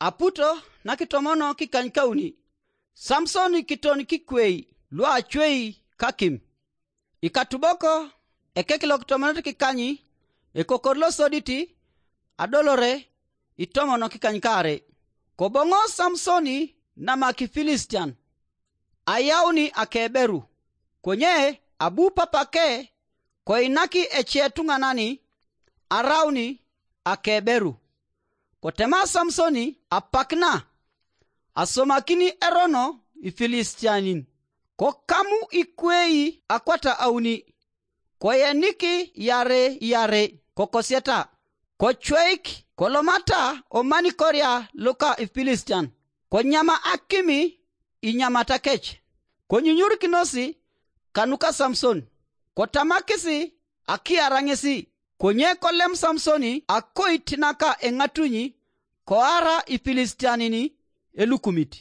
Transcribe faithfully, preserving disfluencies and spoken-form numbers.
Aputo nakitomono kikanykauni, Samson kiton kikwei luacwei kakim. Ikatubok ekek lokitomonot kikanyi, ekokor losodit, adolore itomon kikanykaare. Koboŋo Samson nama Kifilistian, ayauni akeberu, konye abu papake koinaki ece tuŋanani arauni akeberu. Kotema Samson apak na, asomakini erono Ifilistianin, kokamu ikwei akwata auni, koyenik iarei iarei kokosieta, kocweik kolomata omanikoria luka Ifilistian, konyama akimi inyamat kec, konyunyurikinosi kanuka Samson, kotamakisi akiara ŋesi. Konye kolem Samson akoit naka eŋatuny, koara Ifilistianin elukumit.